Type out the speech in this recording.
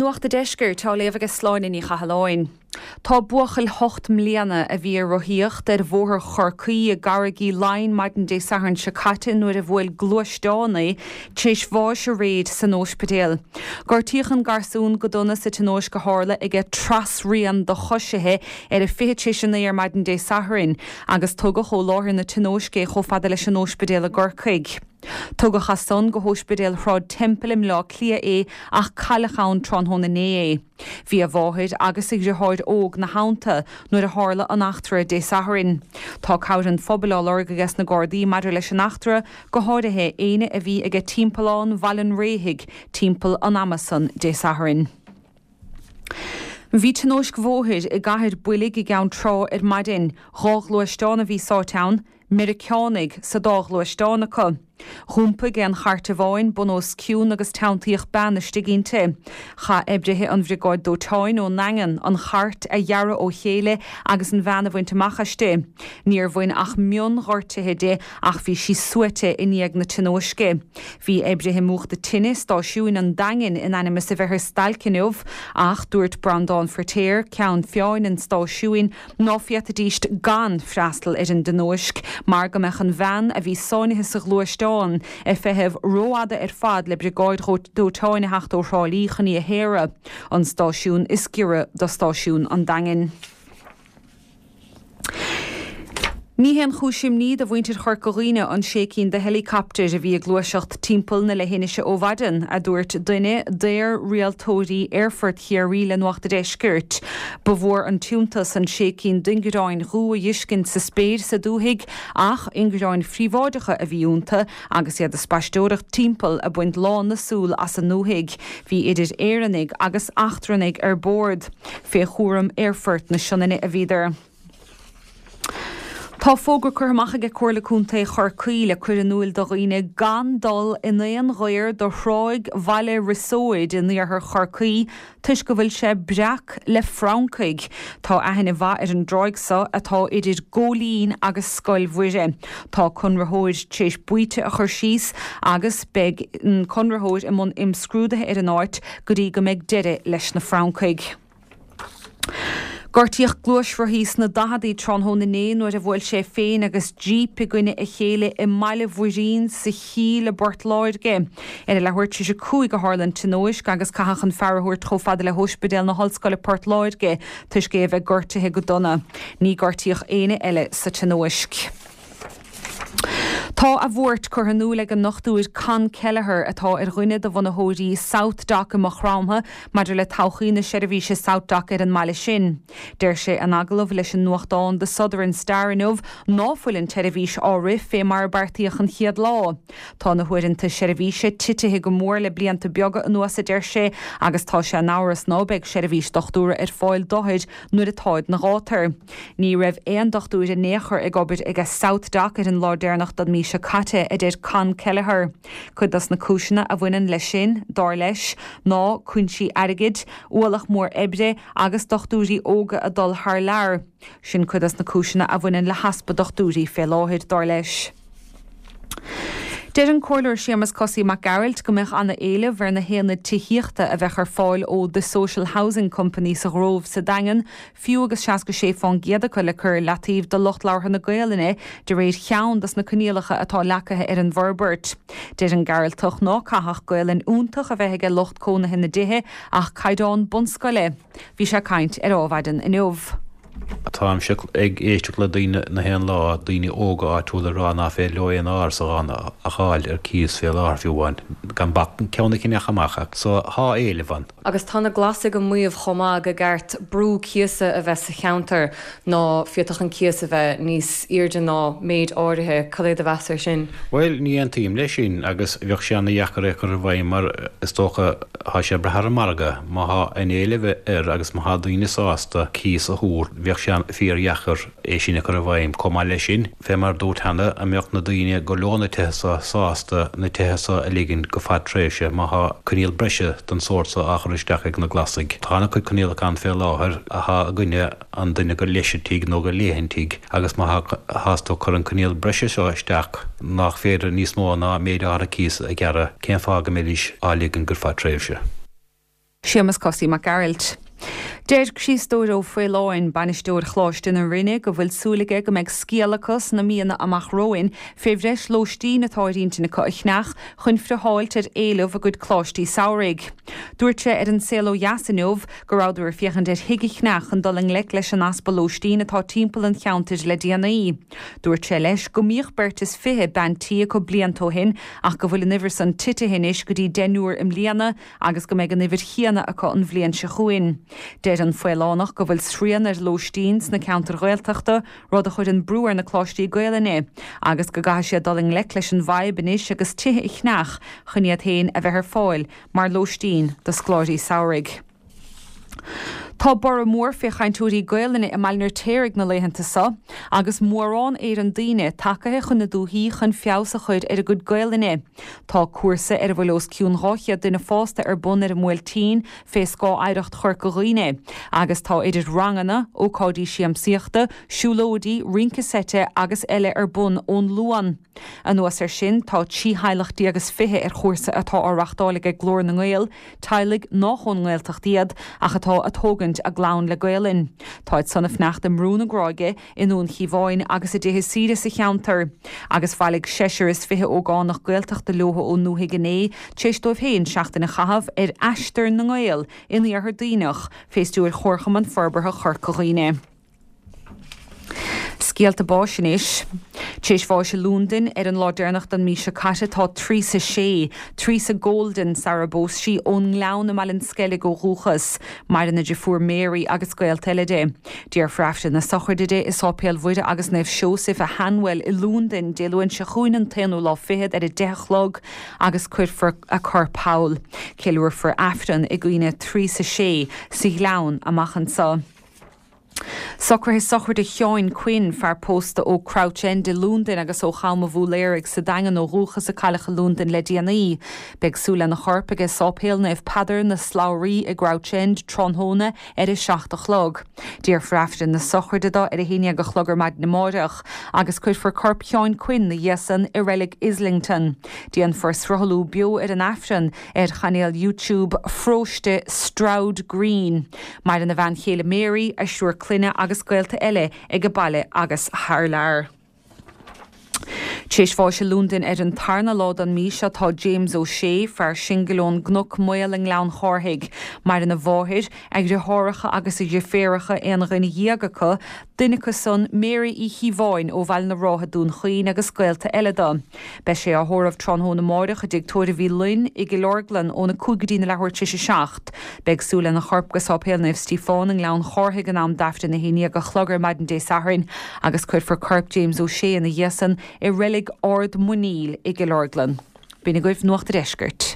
Nuacht a' Deiscirt á léamh aige Sláine Ní Chathalláin. Tá buachaill 8 mbliana a bhí ag rothaíocht ar Bhóthar Chorcaí i gCarraig Uí Leighin maidin Dé Sathairn seo caite nuair a bhuail gluaisteán é, tar éis bháis aréir san óispidéal. Gortaíodh an garsún go dona sa tionóisc a tharla aige trasrian do choisithe ar a 8:40 ar maidin Dé Sathairn agus tugadh ó láthair na tionóisce é chomh fada leis an óispidéal i gCorcaigh. Tugadh as san go hÓispidéal Shráid Temple i mBleá Cliath é ach cailleadh ann tráthnóna inné é. Bhí a mháthair agus a dhriotháir óg 'na theannta nuair a tharla an eachtra Dé Sathairn. Tá cabhair an phobail á lorg ages na Gardaí maidir leis an eachtra, go háirithe éinne a bhí aige timpeallán Bhaile an Réithigh timpeall an ama san Dé Sathairn. Bhí tionóisc bhóthair i gCathair Boilg i gCeann Trá ar maidin. 2 ghluaisteán a bhí sáite ann. Meiriceánaigh sa dá ghluaisteán acu. Dh'iompaigh aon chairt amháin bun os cionn agus teanntaíodh bean istigh inti. Chaith oibrithe an Bhriogáid Dóiteáin ón nDaingean an chairt a ghearradh ó chéile agus an bhean a bhaint amach aisti. Níor bhain ach mion-ghortuithe di ach bhí sí suaite i ndiaidh na tionóisce. Bhí oibrithe múchta tine stáisiúin an Daingin in ainm is a bheith ar stailc inniu ach dúirt Breandán Feirtéar, ceann feadhain an stáisiúin, ná féadfaidíst gan freastal ar an dtionóisc mar go mbeadh an bhean a bhí sáinnithe sa ghluaisteán ag feitheamh rófhada ar fad le briogáid dóiteáin a theacht ó Thrá Lí chun í a shaoradh, an stáisiún is giorra do stáisiún an Daingin. Ní haon chúis imní do mhuintir Chorca Dhuibhne an sé cinn de heileacaptair a bhí ag gluaiseacht timpeall na leithinise ó mhaidin, a dúirt duine d'aer-rialtóirí Aerfort Chiarraí le Nuacht a' Deiscirt. Ba mhór an t-iontas an sé cinn d'ingearáin dhubha a dh'fheiscint sa spéir sa dúthaigh ach ingearáin phríobháideacha a bhí iontu agus iad ag spaisteoireacht timpeall ag baint lán na súl as an ndúthaigh. Bhí idir Éireannaigh agus eachtrannaigh ar bord. Fé chúram Aerfort na Sionainne a bhíodar. Tá fógra curtha amach aige Comhairle Contae Chorcaí le cur in úil do dhaoine gan dul in aon ghaor do thráigh Bhaile Riosóid in iarthar Chorcaí toisc go bhfuil sé breac le francaigh. Tá aithne mhaith ar an dtráigh so atá idir Góilín agus Scoil Mhuire. Tá conraitheoir tar éis baoite a chur síos agus beidh an conraitheoir i mbun imscrúdaithe ar an áit go dtí go mbeidh deireadh leis na francaigh. Gortaíodh gluaisrothaí sna daicheadaí tráthnóna inné nuair a bhuail sé féin agus jíp i gcoinne a chéile i mBaile Mhuirín sa Chill i bPort Láirge. Ar a leathuair tar éis a 5 a tharla an tionóisc agus caitheadh an fear a thabhairt chomh fada le hÓispidéal na hOllscoile Port Láirge toisc é a bheith gortaithe go dona. Ní gortaíodh éinne eile sa tionóisc. Tá a bhuairt curtha in iúl ag an nDochtúir Con Kelleher, atá ar dhuine de bhunaitheoirí SouthDoc i Maigh Chromtha, maidir le todhchaí na seirbhíse SouthDoc ar an mbaile sin. Deir sé in agallamh leis an nuachtán The Southern Star inniu ná fuil an tseirbhís á rith fé mar a beartaíodh an chéad lá. Tá na huaireanta seirbhíse titithe go mór le blianta beaga anuas, a deir sé, agus tá sé in amhras ná beidh seirbhís dochtúra ar fáil d'othair nuair atáid 'na gátar. Ní raibh aon dochtúir in aon chor ag obair aige SouthDoc ar an lá deireanach den mhí seo caite, a deir Con Kelleher. Cuid dos na cúiseanna a bhaineann leis sin, dar leis, ná cúinsí airgid, ualach mór oibre agus dochtúirí óga ag dul thar lear. Sin cuid dos na cúiseanna a bhaineann le heaspa dochtúirí fé láthair, dar leis. Deir an Comhairleoir Séamus Cosaí Mac Gearailt go mbeadh ana-éileamh ar na haonaid tithíochta a bheadh ar fáil ó The Social Housing Company sa Ghrove sa Daingean fiú agus 66% acu le cur ar leataobh do lucht labhartha na Gaolainne de réir cheann dos na coinníollacha atá leagtha ar an bhforbairt. Deir an Gearaltach ná caithfeadh Gaolainn fhiúntach a bheith aige lucht cónaithe na dtithe ach caighdeán bunscoile. Bhí sé ag caint ar Ádhmhaidin inniu. Táimse ag éisteacht le daoine na haon lá, daoine óga áitiúla ag rá ná féidir leo aon árasán a fháil ar cíos fé láthair fiú amháin, gan bac ceann a cheannach amach so thá éileamh ann. Agus tá na Glasaigh ag maíomh chomh maith go gceart brú cíosa a bheith sa cheantar ná féadfadh an cíos a bheith níos airde ná méid áirithe. Cad é do mheas ar sin? Bhuel, ní aontaím leis sin agus bheadh sé ana-dheacair é a chur i bhfeidhm mar is dócha thá sé ag brath ar an margadh. Má thá an éileamh air agus má thá daoine sásta cíos a thabhairt bheadh sé fíor-dheacair é sin a chur i bhfeidhm. Chomh maith leis sin, Fé mar dúrt cheana, an mbeadh na daoine gur leo na tithe so sásta na tithe so a ligean go fad tréimhse má thá coinníoll breise den sórt so á chur isteach ag na Glasaigh? Tá ana-chuid coinníollacha ann fé láthair athá i gcoinne an duine gur leis an tigh nó gur léi an tigh agus má thás tú ag cur an coinníoll breise seo isteach nách féidir níos mó ná méid áirithe cíos a ghearradh, cén fáth go mbeidís á ligean go fad tréimhse? Séamus Cosaí Mac Gearailt. Deir Criostóir Ó Faoláin, bainisteoir Choláiste na Rinne, go bhfuil súil aige go mbeidh scéala acu sna míonna amach romhainn fé bhreis lóistín atá ar intinn acu a cheannach chun friotháilt ar éileamh a gcuid coláistí samhraidh. Dúirt sé ar An Saol Ó Dheas inniu go rabhadar ag féachaint ar thigh a cheannach chun dul i ngleic leis an easpa lóistín atá timpeall an cheantair le déanaí. Dúirt sé leis go mbíodh beirt is 20 bean tí acu blianta ó shin ach go bhfuil an uimhir san titithe anois go dtí deichniúr i mbliana agus go mbeidh an uimhir chéanna acu an bhliain seo chugainn. Deir an Faolánach go bhfuil srian ar lóistín sna ceantair Ghaeltachta, rud a chuireann brú ar na coláistí Gaelainne, agus go gcaithfidh siad dul i ngleic leis an bhfadhb anois agus tithe a cheannach chun iad féin a bheith ar fáil mar lóistín do scoláirí samhraidh. Tá borradh mór fé chainteoirí Gaelainne i mBaile an Fheirtéaraigh na laethanta so, agus mórán Éireann daoine tacaithe chun na dúthaí chun feabhas a chur ar a gcuid Gaelainne. Tá cúrsa ar a bhfuil os cionn 200 duine fásta ar bun ar an mBuailtín fé scáth Oidhreacht Chorca Dhuibhne, agus tá idir ranganna, ócáidí siamsaíochta, siúlóidí, rince seite agus eile ar bun ón Luan. Anuas air sin, tá 13 theaghlach is 20 ar chúrsa atá á reachtáil aige Glór na nGael, teaghlaigh nách ón nGaeltacht iad ach atá a' tógaint a gclann le Gaelainn. Táid san a' fanacht i mBrú na Gráige, i nDún Chíomháin agus i dtithe saoire sa cheantar. Agus bhailigh seisear is 20 ógánach Gaeltachta leothu ón ndúthaigh inné, tar éis dóibh féin seachtain a chaitheamh ar Aistear na nGael in Iarthar Duibhneach, fé stiúir Chomharchumann Forbartha Chorca Dhuibhne. Scéalta báis anois. Tar éis bháis i Lúndain ar an lá deireanach den mí seo caite tá Teresa Shea, Teresa Golden sara bpós sí, ón nGleann i mBaile an Sceilg ó dhúchas. Maireann a deirfiúr Mary agus gaolta eile di. Déarfar Aifreann na sochraide di i Sáipéal Mhuire agus Naomh Seosaimh i Hanwell i Lúndain Dé Luain seo chugainn an t-aonú lá fichead ar 10 a chlog agus cuirfear a corp thall. Ceiliúrfar Aifreann i gcuimhne Teresa Shea sa Ghleann amach anseo. Socruithe sochraide Sheáin Quinn, fear pósta ó Crouch End i Lúndain agus ó Cham a' Bhúiléaraigh sa Daingean ó dhúchas a cailleadh i Lúndain le déanaí. Beidh súil lena chorp aige Sáipéal Naomh Peadar, na Slabhraí i gCrouch End tráthnóna ar a 7 a chlog. Déarfar Aifreann na sochraide dó ar a 11 a chlog ar maidin amáireach agus cuirfear corp Sheáin Quinn 'na dhiaidh san i reilig Islington. Déanfar sruthlú beo ar an Aifreann ar chainéal YouTube Pharóiste Stroud Green. Maireann a bhean chéile Mary, a thriúr clainne agus gaolta eile age baile agus thar lear. Tar éis bháis i Lúndain ar an tarna lá den mí seo tá James O'Shea, fear singil ón gCnoc Maol i nGleann Chárthaigh. Maireann a mháthair, a dheartháireacha agus a dheirféaracha, aon dhuine dhéag acu, duine acu san, Mary Uí Chíobháin ó Bhaile na Rátha, Dún Chaoin agus gaolta eile dó. Beidh sé á thórramh tráthnóna amáireach i dtigh tórraimh Uí Fhloinn i gCill Orglan óna 5 go dtí na leathuair tar éis a 7. Beidh súil lena chorp go Sáipéal Naomh Stíofán i nGleann Chárthaigh in am d'Aifreann 11 a chlog ar maidin Dé Sathairn agus cuirfear corp James O'Shea ina dhiaidh san i reilig Ard Muiníl i gCill Orglan. B'in agaibh Nuacht a' Deiscirt.